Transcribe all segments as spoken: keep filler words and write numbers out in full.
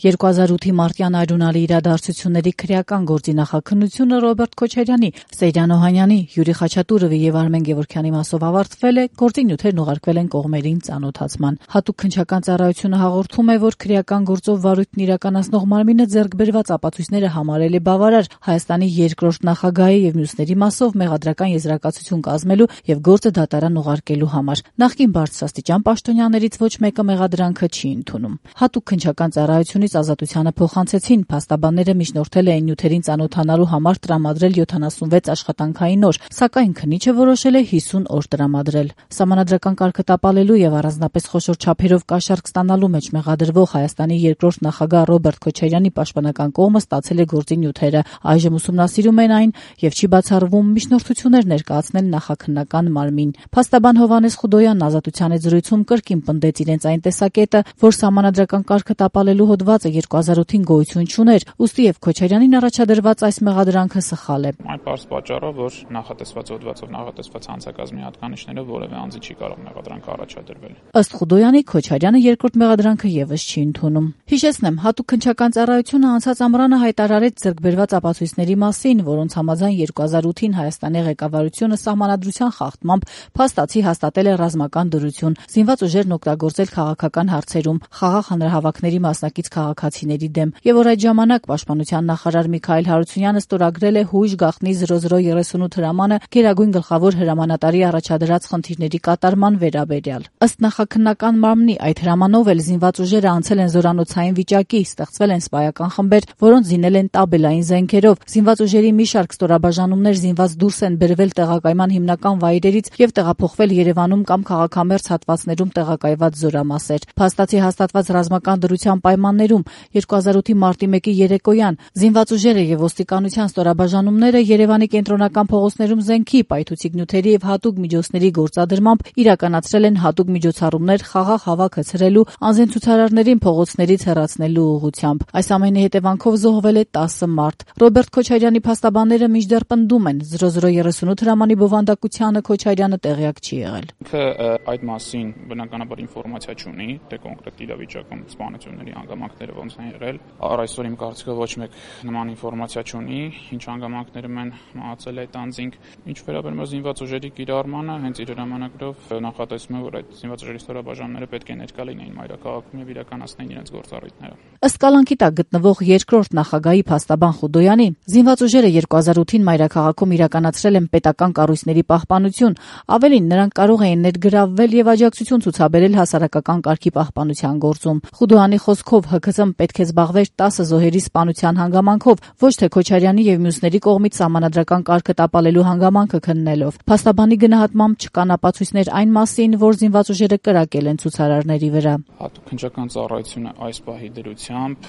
երկու հազար ութի մարտյան այրունալի իրադարձությունների քրեական գործի նախաքննությունը Ռոբերտ Քոչարյանի, Սեյրան Օհանյանի, Յուրի Խաչատուրովի եւ Արմեն Գևորգյանի մասով ավարտվել է, գործի նյութերն ուղարկվել են կողմերին ծանոթացման։ Հատուկ քննչական ծառայությունը հաղորդում է, որ քրեական գործով վարույթն իրականացնող մարմինը ձեռք բերված ապացույցները համարել է բավարար Հայաստանի երկրորդ նախագահի եւ մյուսների մասով մեղադրական եզրակացություն կազմելու եւ գործը դատարան ուղարկելու համար։ Նախկին բարձրաստիճան պաշտոնյաներից ոչ մեկը մեղադրանքը չի ընդունում։ Հատուկ քննչական ծառայությունից ազատությանը փոխանցեցին, փաստաբանները միջնորդել էին նյութերին ծանոթանալու համար տրամադրել յոթանասունվեց աշխատանքային օր, սակայն քննիչը որոշել է հիսուն օր տրամադրել։ Սահմանադրական կարգը տապալելու եւ առանձնապես խոշոր չափերով կաշառք ստանալու մեջ մեղադրվող Հայաստանի երկրորդ նախագահ Ռոբերտ Քոչարյանի պաշտպանական կողմը ստացել է գործի նյութերը, այժմ ուսումնասիրում են այն եւ չի բացառվում միջնորդություններ ներկայացնել նախաքննական մարմին։ Փաստաբան Հովհաննես Խուդոյանն ազատության հետ զրույցում կրկին պնդեց իրենց այն տեսակետը, որ սահմանադրական կարգը տապալելու հոդվածը երկու հազար ութին գոյություն չուներ, ուստի եւ Քոչարյանին առաջադրված այս մեղադրանքը սխալ է։ Այն պարզ պատճառով, որ նախատեսված հոդվածով նախատեսված հանցակազմի հատկանիշներով որևէ անձի չի կարող մեղադրանքը առաջադրվել։ Ըստ Խուդոյանի, Քոչարյանը երկրորդ մեղադրանքը եւս չի ընդունում։ Հիշեցնեմ, հատուկ քննչական ծառայությունը անցած ամռանը հայտարարեց ձեռքբերված ապացույցների մասին, որոնց համաձայն երկու հազար ութին Հայաստանի ղեկավարությունը սահմանադրության խախտմամբ փաստացի հաստատել է ռազմական դրություն, զինված ուժերն օգտագործել քաղաքական հարցերում, խաղաղ հանրահավաքների մասնակից քաղաքացիների դեմ, եւ որ այդ ժամանակ պաշտպանության նախարար Միքայել Հարությունյանը ստորագրել է հույժ գաղտնի զրո զրո երեսունութ հրամանը Գերագույն գլխավոր հրամանատարի առաջադրած խնդիրների կատարման վերաբերյալ։ Ըստ նախաքննական մարմնի, այդ հրամանով էլ զինված ուժերը անցել են զորանոցային վիճակի, ստեղծվել են սպայական խմբեր, որոնց զինել են տաբելային զենքերով, զինված ուժերի մի շարք ստորաբաժանումներ զինված դուրս են բերվել տեղակայման հիմնական վայրերից եւ տեղափոխվել Երևանում կամ քաղաքամերձ հատվածներում տեղակայված զորամասեր։ Փաստացի հաստատված ռազմական դրության պայմաններում երկու հազար ութի մարտի մեկի երեկոյան զինված ուժերը եւ ոստիկանության ստորաբաժանումները Երևանի կենտրոնական փողոցներում զենքի, պայթուցիկ նյութերի եւ հատուկ միջոցների գործադրմամբ իրականացրել են հատուկ միջոցառումներ խաղաղ հավաք հցրելու, անզեն ցուցարարներին փողոցներից հեռացնելու ուղղությամբ։ Այս ամենի հետևանքով զոհվել է տասը մարդ։ Ռոբերտ Քոչարյանի փաստաբանները մինչդեռ պնդում են, զրո զրո երեսունութ հրամանի բովանդակությանը Քոչարյանը տեղյակ չի եղել։ Ինքը այդ մասին բնականաբար ինֆորմացիա չունի, թե կոնկրետ իրավիճակում սպանությունների հանգամանքները ոնց են եղել։ Առ այսօր իմ կարծիքով ոչ մեկ նման ինֆորմացիա չունի, ինչ հանգամանքներում են մահացել այդ անձինք։ Ինչ վերաբերում է զինված ուժերի կիրառմանը, հենց իր հրամանագրով նախատեսվում է, որ այդ զինված ուժերի ստորաբաժանումները պետք է ներկա լինեին մայրաքաղաքում եւ իրականացնեին իրենց գործառույթները։ Ըստ կալանքի տակ գտնվող երկրորդ նախագահի փաստաբան Խուդոյանի, զինված ուժերը երկու հազար ութին մայրաքաղաքում իրականացրել են պետական կառույցների պահպանություն, ավելին նրանք կարող էին ներգրավվել եւ աջակցություն ցուցաբերել հասարակական կարգի պահպանության գործում։ Խուդոյանի խոսքով Հ K Ծ-ն պետք է զբաղվեր տասը զոհերի սպանության հանգամանքով, ոչ թե Քոչարյանի եւ մյուսների կողմից սահմանադրական կարգը տապալելու հանգամանքը քննելով։ Փաստաբանի գնահատմամբ չկան ապացույցներ այն մասին, որ զինված ուժերը կրակել են ցուցարարների վրա։ Հատուկ քննչական ծառայությունը այս պահի դրությամբ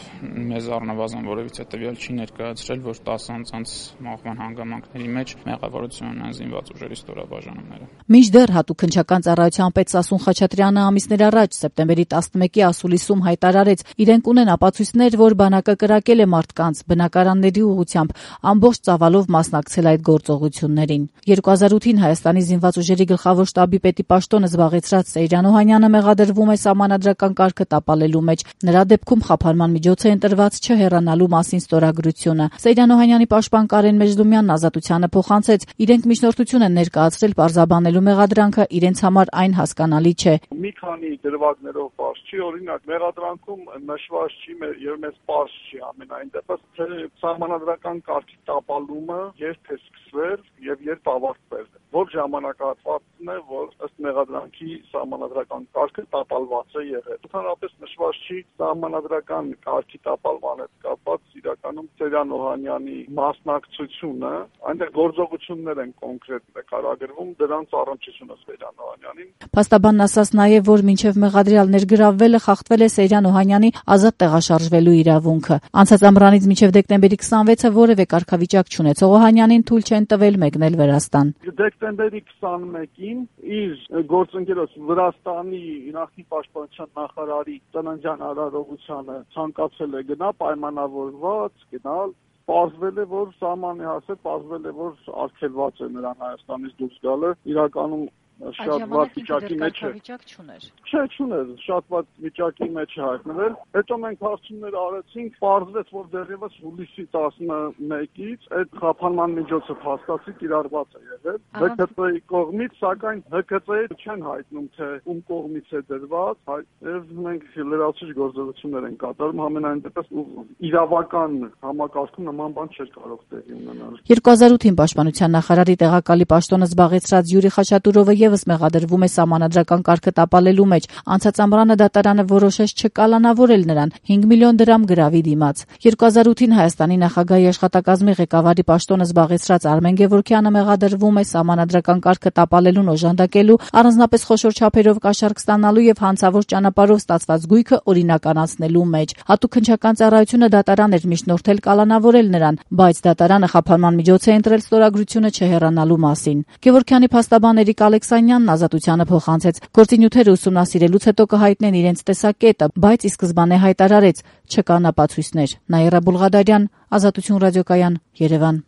մեզ առնվազն որևիցե տվյալ չի ներկայացրել, որ տասը անձանց մահվան հանգամանքների մեջ մեղավորություն ունեն զինված ուժերի ստորաբաժանումները։ Մինչդեռ հատուկ քննչական ծառայության պետ Սասուն Խաչատրյանը ամիսներ առաջ սեպտեմբերի տասնմեկի ասուլիսում հայտարարեց, իրենք ունեն ապացույցներ, որ բանակը կրակել է մարդկանց բնակարանների ուղղությամբ, ամբողջ ծավալով մասնակցել այդ գործողություններին։ երկու հազար ութին Հայաստանի զինված ուժերի գլխավոր շտաբի պետի պաշտոնը զբաղեցրած Սեյրան Օհանյանը մեղադրվում է սահմանադրական կարգը տապալելու մեջ։ Նրա դեպքում խափանման միջոց է ընտրված չհեռանալու մասին ստորագրությունը։ Սեյրան Օհանյանի պաշտպան Կարեն Մեջդումյանն ազատությանը փոխանցեց, իրենք միջնորդություն են ներկայացրել պարզաբանելու մեղադրանքը, իրենց համար այն հասկանալի չէ։ Մի քանի դրվագներով պարզ չի, օրինակ մեղադրանքում նշված չի եւ մեզ պարզ չի ամենայն դեպս թե սահմանադրական կարգի տապալումը երբ է սկսվել եւ երբ ավարտվել է։ Որ ժամանակահատվածն է, որ ըստ մեղադրանքի սահմանադրական կարգը տապալված է եղել։ Ընդհանրապես նշված չի սահմանադրական կարգի տապալման հետ կապված իրականում Սեյրան Օհանյանի մասնակցությունը, այնտեղ գործողություններ են կոնկրետ նկարագրվում, դրանց առնչությունը Սեյրան Օհանյանին։ Փաստաբանն ասաց նաեւ, որ մինչեւ մեղադրյալ ներգրավվելը խախտվել է Սեյրան Օհանյանի ազատ տեղաշարժվելու իրավունքը։ Անցած ամռանից մինչեւ դեկտեմբերի քսանվեցը որևէ կարգավիճակ չունեցող Օհանյանին թույլ չեն տվել մեկնել Վրաստան։ Դեկտեմբերի քսանմեկին իր գործընկերոջ Վրաստանի նախկին պաշտպանության նախարարի ծննդյան արարողությանը ցանկացել է գնա պայմանավորված գնալ, պարզվել է, որ սահմանի հասել, պարզվել է, որ արգելված է նրան Հայաստանից դուրս գալը, իրականում շատ վատ վիճակի մեջ է։ Չէ, չուներ, շատ վատ վիճակի մեջ է հայտնվել։ Հետո մենք հարցումներ արեցինք, պարզվեց, որ դեռևս հուլիսի տասնմեկից այդ խափանման միջոցը փաստացի կիրառված է եղել Հ K Ծ-ի կողմից, սակայն Հ K Ծ-ը չեն հայտնում, թե ում կողմից է դրված, եւ մենք լրացուցիչ գործողություններ են կատարում, համենայն դեպս իրավական համակարգում նման բան չէր կարող տեղի ունենալ։ երկու հազար ութին պաշտպանության նախարարի տեղակալի պաշտոնը զբաղեցրած Յուրի Խաչատուրովը եւս մեղադրվում է սահմանադրական կարգը տապալելու մեջ։ Անցած ամռանը դատարանը որոշեց չկալանավորել նրան հինգ միլիոն դրամ գրավի դիմաց։ երկու հազար ութին Հայաստանի նախագահի աշխատակազմի ղեկավարի պաշտոնը զբաղեցրած Արմեն Գևորգյանը մեղադրվում է սահմանադրական կարգը տապալելուն օժանդակելու, առանձնապես խոշոր չափերով կաշառք ստանալու եւ հանցավոր ճանապարհով ստացված գույքը օրինականացնելու մեջ։ Հատուկ քննչական ծառայությունը դատարան էր միջնորդել կալանավորել նրան, բայց դատարանը խափանման միջոց է ընտրել ստորագրությունը չհեռանալու մասին։ Գևորգյանի փաստաբան Էրիկ Ալեքսանյանն ազատությանը փոխանցեց. Գործի նյութերը ուսումնասիրելուց հետո կհայտնեն իրենց տեսակետը, բայց ի սկզբանե հայտարարեց՝ չկան ապացույցներ։ Նաիրա Բուլղադարյան, Ազատություն ռադիոկայան, Երևան։